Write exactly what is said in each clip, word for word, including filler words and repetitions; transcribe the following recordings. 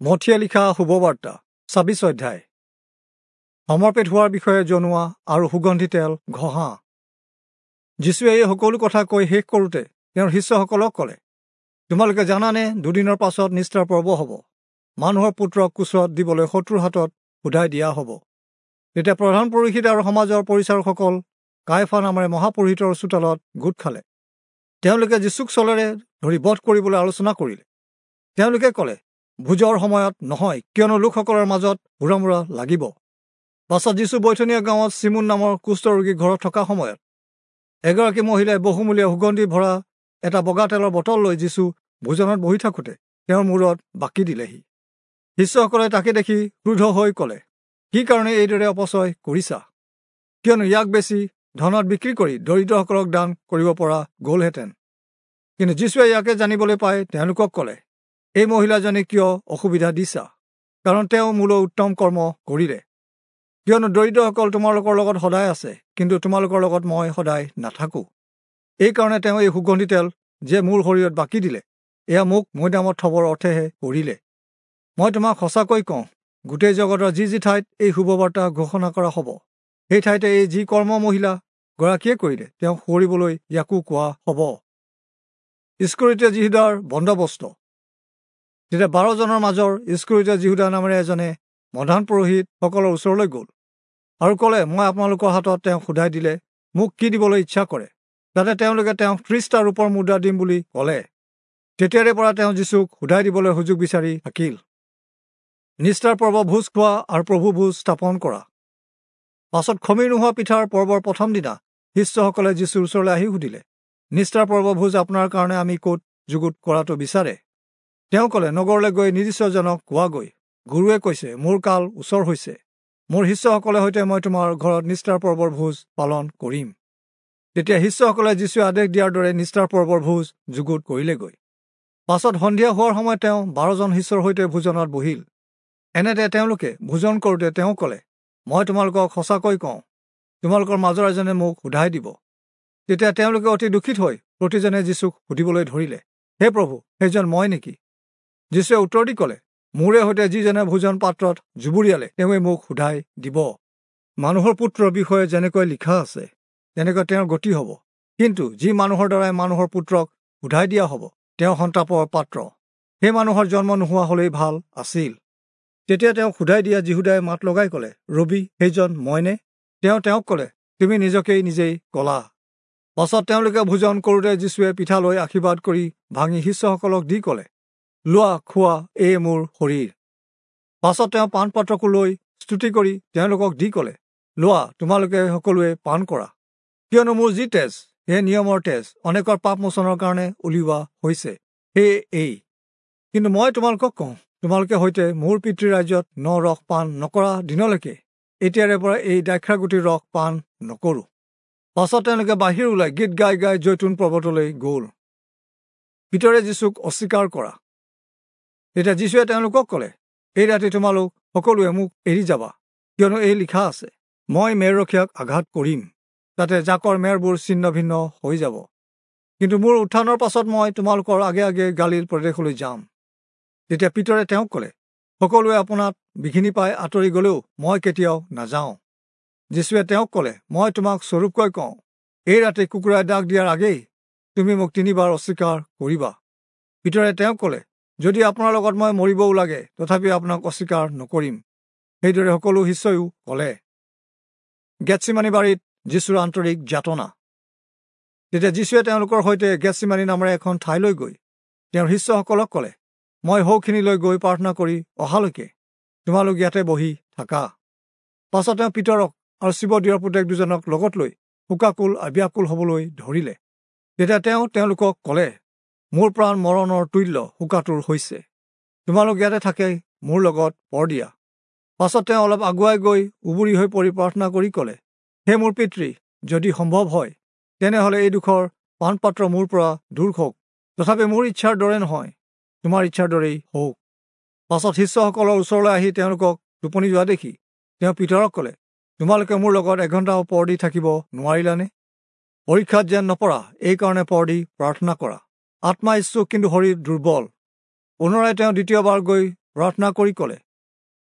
মথিয়ে লিখা শুভবাৰ্তা ছাব্বিছ অধ্যায়। সমৰ্পিত হোৱাৰ বিষয়ে জনোৱা আৰু সুগন্ধি তেল ঘঁহা। যীশুৱে এই সকলো কথা কৈ শেষ কৰোঁতে তেওঁৰ শিষ্যসকলক ক'লে, তোমালোকে জানানে দুদিনৰ পাছত নিস্তাৰ পৰ্ব হ'ব, মানুহৰ পুত্ৰক কোচত দিবলৈ শত্ৰুৰ হাতত সোধাই দিয়া হ'ব। তেতিয়া প্ৰধান পুৰোহিত আৰু সমাজৰ পৰিচাৰকসকল কাইফা নামেৰে মহাপুৰোহিতৰ চোতালত গোট খালে। তেওঁলোকে যীশুক চলেৰে ধৰি বধ কৰিবলৈ আলোচনা কৰিলে। তেওঁলোকে ক'লে, ভোজৰ সময়ত নহয়, কিয়নো লোকসকলৰ মাজত হুৰামুৰা লাগিব। পাছত যীশু বৈথনীয়া গাঁৱত চিমোন নামৰ কুষ্ঠৰোগী ঘৰত থকা সময়ত এগৰাকী মহিলাই বহুমূলীয়া সুগন্ধি ভৰা এটা বগা তেলৰ বটল লৈ যীশু ভোজনত বহি থাকোঁতে তেওঁৰ মূৰত বাকি দিলেহি। শিষ্যসকলে তাকে দেখি ক্ৰোধ হৈ ক'লে, কি কাৰণে এইদৰে অপচয় কৰিছা? কিয়নো ইয়াক বেছি ধনত বিক্ৰী কৰি দৰিদ্ৰসকলক দান কৰিব পৰা গ'লহেঁতেন। কিন্তু যীশুৱে ইয়াকে জানিবলৈ পাই তেওঁলোকক ক'লে, এই মহিলাজনীক কিয় অসুবিধা দিছা? কাৰণ তেওঁ মোলৈ উত্তম কৰ্ম কৰিলে। কিয়নো দৰিদ্ৰসকল তোমালোকৰ লগত সদায় আছে, কিন্তু তোমালোকৰ লগত মই সদায় নাথাকোঁ। এইকাৰণে তেওঁ এই সুগন্ধি তেল যে মোৰ শৰীৰত বাকি দিলে, এয়া মোক মৈদামত থবৰ অৰ্থেহে কৰিলে। মই তোমাক সঁচাকৈ কওঁ, গোটেই জগতৰ যি যি ঠাইত এই শুভবাৰ্তা ঘোষণা কৰা হ'ব, সেই ঠাইতে এই যি কৰ্ম মহিলা গৰাকীয়ে কৰিলে, তেওঁক সোঁৱৰিবলৈ ইয়াকো কোৱা হ'ব। ঈষ্কৰিয়োতীয়া যিহূদাৰ বন্দবস্ত। তেতিয়া বাৰজনৰ মাজৰ ঈষ্কৰিয়োতীয়া যিহূদা নামেৰে এজনে প্ৰধান পুৰোহিতসকলৰ ওচৰলৈ গ'ল আৰু ক'লে, মই আপোনালোকৰ হাতত তেওঁক সোধাই দিলে মোক কি দিবলৈ ইচ্ছা কৰে? যাতে তেওঁলোকে তেওঁক ত্ৰিছটা ৰূপৰ মুদ্ৰা দিম বুলি ক'লে। তেতিয়াৰে পৰা তেওঁ যীশুক সোধাই দিবলৈ সুযোগ বিচাৰি থাকিল। নিস্তাৰ পৰ্ব ভোজ খোৱা আৰু প্ৰভু ভোজ স্থাপন কৰা। পাছত খমিৰ নোহোৱা পিঠাৰ পৰ্বৰ প্ৰথম দিনা শিষ্যসকলে যীশুৰ ওচৰলৈ আহি সুধিলে, নিস্তাৰ পৰ্ব ভোজ আপোনাৰ কাৰণে আমি ক'ত যুগুত কৰাটো বিচাৰে? তেওঁ ক'লে, নগৰলৈ গৈ নিৰ্দিষ্টজনক কোৱাগৈ, গুৰুৱে কৈছে, মোৰ কাল ওচৰ হৈছে, মোৰ শিষ্যসকলে সৈতে মই তোমাৰ ঘৰত নিস্তাৰ পৰ্বৰ ভোজ পালন কৰিম। তেতিয়া শিষ্যসকলে যীশুৱে আদেশ দিয়াৰ দৰে নিস্তাৰ পৰ্বৰ ভোজ যুগুত কৰিলেগৈ। পাছত সন্ধিয়া হোৱাৰ সময়ত তেওঁ বাৰজন শিষ্যৰ সৈতে ভোজনত বহিল। এনেতে তেওঁলোকে ভোজন কৰোঁতে তেওঁ ক'লে, মই তোমালোকক সঁচাকৈ কওঁ, তোমালোকৰ মাজৰ এজনে মোক সোধাই দিব। তেতিয়া তেওঁলোকে অতি দুখিত হৈ প্ৰতিজনে যীশুক সুধিবলৈ ধৰিলে, হে প্ৰভু, সেইজন মই নেকি? যীশুৱে উত্তৰ দি ক'লে, মোৰে সৈতে যিজনে ভোজন পাত্ৰত জুবুৰিয়ালে, তেওঁৱে মোক সোধাই দিব। মানুহৰ পুত্ৰৰ বিষয়ে যেনেকৈ লিখা আছে, তেনেকৈ তেওঁৰ গতি হ'ব। কিন্তু যি মানুহৰ দ্বাৰাই মানুহৰ পুত্ৰক সোধাই দিয়া হ'ব, তেওঁ সন্তাপৰ পাত্ৰ। সেই মানুহৰ জন্ম নোহোৱা হ'লেই ভাল আছিল। তেতিয়া তেওঁক সোধাই দিয়া যিহূদাই মাত লগাই ক'লে, ৰবি, সেইজন মইনে? তেওঁ তেওঁক ক'লে, তুমি নিজকেই নিজেই ক'লা। পাছত তেওঁলোকে ভোজন কৰোঁতে যীশুৱে পিঠা লৈ আশীৰ্বাদ কৰি ভাঙি শিষ্যসকলক দি ক'লে, লোৱা, খোৱা, এয়ে মোৰ শৰীৰ। পাছত তেওঁ পানপাত্ৰকো লৈ স্তুতি কৰি তেওঁলোকক দি ক'লে, লোৱা, তোমালোকে সকলোৱে পান কৰা, কিয়নো মোৰ যি তেজ, সেই নিয়মৰ তেজ, অনেকৰ পাপ মোচনৰ কাৰণে উলিওৱা হৈছে, সেয়ে এই। কিন্তু মই তোমালোকক কওঁ, তোমালোকে সৈতে মোৰ পিতৃৰ ৰাজ্যত ন ৰস পান নকৰা দিনলৈকে এতিয়াৰে পৰা এই দ্ৰাক্ষাগুটিৰ ৰস পান নকৰোঁ। পাছত তেওঁলোকে বাহিৰ ওলাই গীত গাই গাই জৈতুন পৰ্বতলৈ গ'ল। পিতৰে যীশুক অস্বীকাৰ কৰা। তেতিয়া যীশুৱে তেওঁলোকক ক'লে, এই ৰাতি তোমালোক সকলোৱে মোক এৰি যাবা, কিয়নো এই লিখা আছে, মই মেৰৰখীয়াক আঘাত কৰিম, তাতে জাকৰ মেৰবোৰ ছিন্ন ভিন্ন হৈ যাব। কিন্তু মোৰ উত্থানৰ পাছত মই তোমালোকৰ আগে আগে গালিল প্ৰদেশলৈ যাম। তেতিয়া পিতৰে তেওঁক ক'লে, সকলোৱে আপোনাত বিঘিনি পাই আঁতৰি গ'লেও মই কেতিয়াও নাযাওঁ। যীশুৱে তেওঁক ক'লে, মই তোমাক স্বৰূপকৈ কওঁ, এই ৰাতি কুকুৰাই ডাক দিয়াৰ আগেই তুমি মোক তিনিবাৰ অস্বীকাৰ কৰিবা। পিতৰে তেওঁক ক'লে, যদি আপোনাৰ লগত মই মৰিবও লাগে, তথাপি আপোনাক অস্বীকাৰ নকৰিম। সেইদৰে সকলো শিষ্যয়ো ক'লে। গেৎচিমানী বাৰীত যীশুৰ আন্তৰিক যাতনা। তেতিয়া যীশুৱে তেওঁলোকৰ সৈতে গেৎচিমানী নামেৰে এখন ঠাইলৈ গৈ তেওঁৰ শিষ্যসকলক ক'লে, মই সৌখিনিলৈ গৈ প্ৰাৰ্থনা কৰি অহালৈকে তোমালোক ইয়াতে বহি থাকা। পাছত তেওঁ পিতৰক আৰু শিৱদিয়ৰ পুতেক দুজনক লগত লৈ শোকাকুল আৰু ব্যাকুল হ'বলৈ ধৰিলে। তেতিয়া তেওঁ তেওঁলোকক ক'লে, মোৰ প্ৰাণ মৰণৰ তুল্য শোকাতুৰ হৈছে, তোমালোক ইয়াতে থাকে মোৰ লগত পৰ দিয়া। পাছত তেওঁ অলপ আগুৱাই গৈ উবুৰি হৈ পৰি প্ৰাৰ্থনা কৰি ক'লে, হে মোৰ পিতৃ, যদি সম্ভৱ হয়, তেনেহ'লে এই দুখৰ পানপাত্ৰ মোৰ পৰা দূৰ হওক, তথাপি মোৰ ইচ্ছাৰ দৰে নহয়, তোমাৰ ইচ্ছাৰ দৰেই হওক। পাছত শিষ্যসকলৰ ওচৰলৈ আহি তেওঁলোকক টোপনি যোৱা দেখি তেওঁ পিতৰক ক'লে, তোমালোকে মোৰ লগত এঘণ্টাও পৰ দি থাকিব নোৱাৰিলানে? পৰীক্ষাত যেন নপৰা, এইকাৰণে পৰ দি প্ৰাৰ্থনা কৰা। আত্মা ইচ্ছুক, কিন্তু শৰীৰ দুৰ্বল। পুনৰাই তেওঁ দ্বিতীয়বাৰ গৈ প্ৰাৰ্থনা কৰি ক'লে,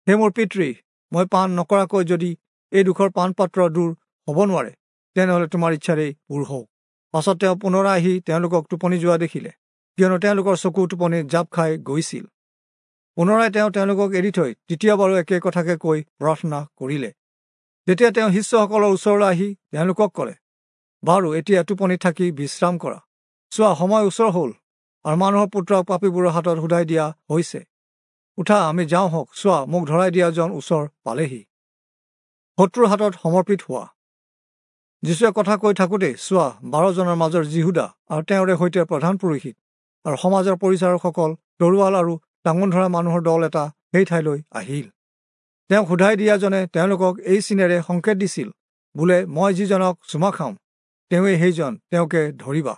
হে মোৰ পিতৃ, মই পান নকৰাকৈ যদি এই দুখৰ পানপাত্ৰ দূৰ হ'ব নোৱাৰে, তেনেহ'লে তোমাৰ ইচ্ছাৰেই পূৰ হওক। পাছত তেওঁ পুনৰাই আহি তেওঁলোকক টোপনি যোৱা দেখিলে, কিয়নো তেওঁলোকৰ চকু টোপনিত জাপ খাই গৈছিল। পুনৰাই তেওঁ তেওঁলোকক এৰি থৈ তৃতীয় বাৰু একে কথাকে কৈ প্ৰাৰ্থনা কৰিলে। তেতিয়া তেওঁ শিষ্যসকলৰ ওচৰলৈ আহি তেওঁলোকক ক'লে, বাৰু এতিয়া টোপনি থাকি বিশ্ৰাম কৰা। চোৱা, সময় ওচৰ হ'ল আৰু মানুহৰ পুত্ৰক পাপীবোৰৰ হাতত সোধাই দিয়া হৈছে। উঠা, আমি যাওঁ হওক। চোৱা, মোক ধৰাই দিয়াজন ওচৰ পালেহি। শত্ৰুৰ হাতত সমৰ্পিত হোৱা। যীশুৱে কথা কৈ থাকোঁতেই চোৱা, বাৰজনৰ মাজৰ যিহুদা আৰু তেওঁৰে সৈতে প্ৰধান পুৰোহিত আৰু সমাজৰ পৰিচাৰকসকল তৰোৱাল আৰু টাঙোন ধৰা মানুহৰ দল এটা সেই ঠাইলৈ আহিল। তেওঁক সোধাই দিয়াজনে তেওঁলোকক এই চিনেৰে সংকেত দিছিল, বোলে, মই যিজনক চুমা খাম তেওঁৱেই সেইজন, তেওঁকে ধৰিবা।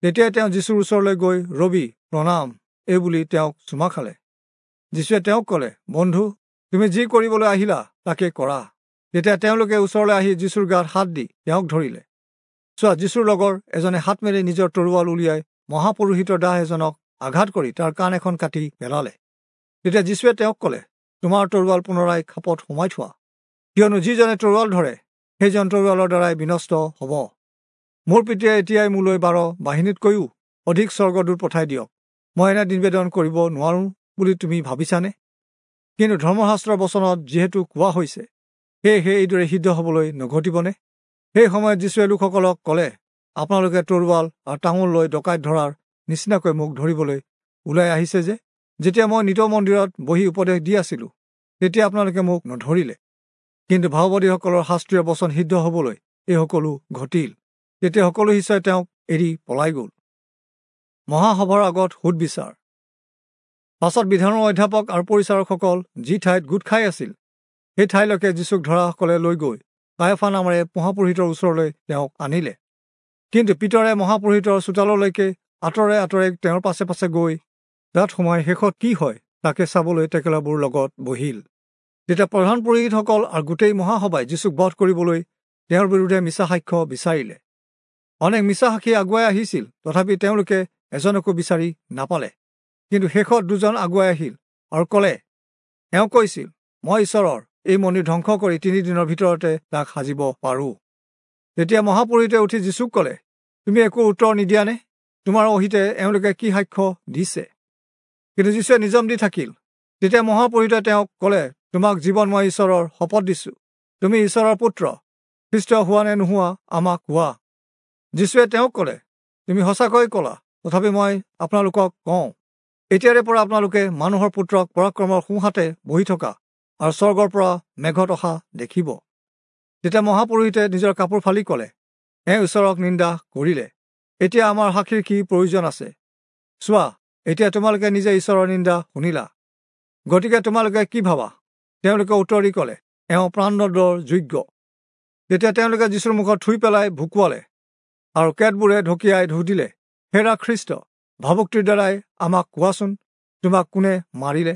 তেতিয়াই তেওঁ যীশুৰ ওচৰলৈ গৈ, ৰবি, প্ৰণাম, এই বুলি তেওঁক চুমা খালে। যীশুৱে তেওঁক ক'লে, বন্ধু, তুমি যি কৰিবলৈ আহিলা তাকে কৰা। তেতিয়া তেওঁলোকে ওচৰলৈ আহি যীশুৰ গাত হাত দি তেওঁক ধৰিলে। চোৱা, যীশুৰ লগৰ এজনে হাত মেলি নিজৰ তৰোৱাল উলিয়াই মহাপুৰোহিতৰ দাহ এজনক আঘাত কৰি তাৰ কাণ এখন কাটি পেলালে। তেতিয়া যীশুৱে তেওঁক ক'লে, তোমাৰ তৰোৱাল পুনৰাই খাপত সোমাই থোৱা, কিয়নো যিজনে তৰোৱাল ধৰে সেইজন তৰোৱালৰ দ্বাৰাই বিনষ্ট হ'ব। মোৰ পিতৃয়ে এতিয়াই মোলৈ বাৰ বাহিনীতকৈও অধিক স্বৰ্গদূত পঠাই দিয়ক। মই এনে নিবেদন কৰিব নোৱাৰোঁ বুলি তুমি ভাবিছানে? কিন্তু ধৰ্মশাস্ত্ৰৰ বচনত যিহেতু কোৱা হৈছে, সেয়েহে এইদৰে সিদ্ধ হ'বলৈ নঘটিবনে? সেই সময়ত যীশুৱে লোকসকলক ক'লে, আপোনালোকে তৰোৱাল আৰু টাঙোন লৈ ডকাইত ধৰাৰ নিচিনাকৈ মোক ধৰিবলৈ ওলাই আহিছে যে, যেতিয়া মই নিতৌ মন্দিৰত বহি উপদেশ দি আছিলোঁ, তেতিয়া আপোনালোকে মোক নধৰিলে। কিন্তু ভাওবাদীসকলৰ শাস্ত্ৰীয় বচন সিদ্ধ হ'বলৈ এই সকলো ঘটিল। তেতিয়া সকলো শিষ্যই তেওঁক এৰি পলাই গ'ল। মহাসভাৰ আগত সোধ বিচাৰ। পাছত বিধানৰ অধ্যাপক আৰু পৰিচাৰকসকল যি ঠাইত গোট খাই আছিল, সেই ঠাইলৈকে যীশুক ধৰাসকলে লৈ গৈ কায়ফা নামেৰে মহাপুৰোহিতৰ ওচৰলৈ তেওঁক আনিলে। কিন্তু পিতৰে মহাপুৰোহিতৰ চোতাললৈকে আঁতৰে আঁতৰে তেওঁৰ পাছে পাছে গৈ তাত সোমাই শেষত কি হয় তাকে চাবলৈ টেকেলাবোৰ লগত বহিল। তেতিয়া প্ৰধান পুৰোহিতসকল আৰু গোটেই মহাসভাই যীশুক বধ কৰিবলৈ তেওঁৰ বিৰুদ্ধে মিছা সাক্ষ্য বিচাৰিলে। অনেক মিছা সাক্ষী আগুৱাই আহিছিল, তথাপি তেওঁলোকে এজনকো বিচাৰি নাপালে। কিন্তু শেষত দুজন আগুৱাই আহিল আৰু ক'লে, এওঁ কৈছিল, মই ঈশ্বৰৰ এই মন্দিৰ ধ্বংস কৰি তিনিদিনৰ ভিতৰতে তাক সাজিব পাৰোঁ। তেতিয়া মহাপুৰোহিতে উঠি যীশুক ক'লে, তুমি একো উত্তৰ নিদিয়ানে? তোমাৰ অহিতে এওঁলোকে কি সাক্ষ্য দিছে? কিন্তু যীশুৱে নিজম দি থাকিল। তেতিয়া মহাপুৰোহিতে তেওঁক ক'লে, তোমাক জীৱনময় ঈশ্বৰৰ শপত দিছোঁ, তুমি ঈশ্বৰৰ পুত্ৰ খ্ৰীষ্ট হোৱা নে নোহোৱা আমাক কোৱা। যীশুৱে তেওঁক ক'লে, তুমি সঁচাকৈ ক'লা, তথাপি মই আপোনালোকক কওঁ, এতিয়াৰে পৰা আপোনালোকে মানুহৰ পুত্ৰক পৰাক্ৰমৰ সোঁহাতে বহি থকা আৰু স্বৰ্গৰ পৰা মেঘত অহা দেখিব। তেতিয়া মহাপুৰোহিতে নিজৰ কাপোৰ ফালি ক'লে, এওঁ ঈশ্বৰক নিন্দা কৰিলে, এতিয়া আমাৰ সাক্ষীৰ কি প্ৰয়োজন আছে? চোৱা, এতিয়া তোমালোকে নিজে ঈশ্বৰৰ নিন্দা শুনিলা, গতিকে তোমালোকে কি ভাবা? তেওঁলোকে উত্তৰ দি ক'লে, এওঁ প্ৰাণদণ্ডৰ যোগ্য। তেতিয়া তেওঁলোকে যীশুৰ মুখত থুই পেলাই ভুকুৱালে আৰু কেতবোৰে ঢকিয়াই সুধিলে, হেৰা খ্ৰীষ্ট, ভাবুক্তিৰ দ্বাৰাই আমাক কোৱাচোন, তোমাক কোনে মাৰিলে?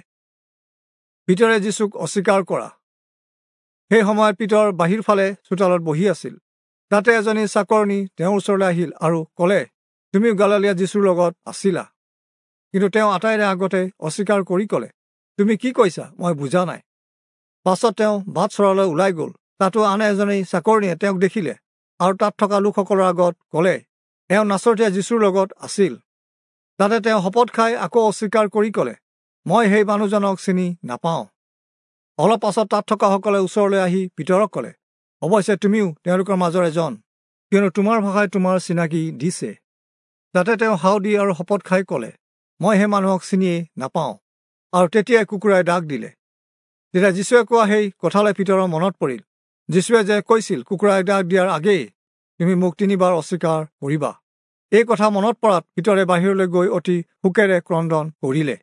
পিতৰে যীশুক অস্বীকাৰ কৰা। সেই সময়ত পিতৰ বাহিৰ ফালে চোতালত বহি আছিল। তাতে এজনী চাকৰণী তেওঁৰ ওচৰলৈ আহিল আৰু ক'লে, তুমিও গালালীয়া যীশুৰ লগত আছিলা। কিন্তু তেওঁ আটাইৰে আগতে অস্বীকাৰ কৰি ক'লে, তুমি কি কৈছা মই বুজা নাই। পাছত তেওঁ বাট চৰালৈ ওলাই গ'ল। তাতো আন এজনী চাকৰণীয়ে তেওঁক দেখিলে আৰু তাত থকা লোকসকলৰ আগত ক'লে, এওঁ নাচৰতীয়া যীশুৰ লগত আছিল। তাতে তেওঁ শপত খাই আকৌ অস্বীকাৰ কৰি ক'লে, মই সেই মানুহজনক চিনি নাপাওঁ। অলপ পাছত তাত থকাসকলে ওচৰলৈ আহি পিতৰক ক'লে, অৱশ্যে তুমিও তেওঁলোকৰ মাজৰ এজন, কিয়নো তোমাৰ ভাষাই তোমাৰ চিনাকি দিছে। তাতে তেওঁ হাও দি আৰু শপত খাই ক'লে, মই সেই মানুহক চিনিয়েই নাপাওঁ। আৰু তেতিয়াই কুকুৰাই ডাক দিলে। তেতিয়া যীশুৱে কোৱা সেই কথালৈ পিতৰৰ মনত পৰিল, যীশুৱে যে কৈছিল, কুকুৰাই ডাক দিয়াৰ আগেয়ে তুমি মোক তিনিবাৰ অস্বীকাৰ কৰিবা। এই কথা মনত পৰাত পিতৰে বাহিৰলৈ গৈ অতি শোকেৰে ক্ৰন্দন কৰিলে।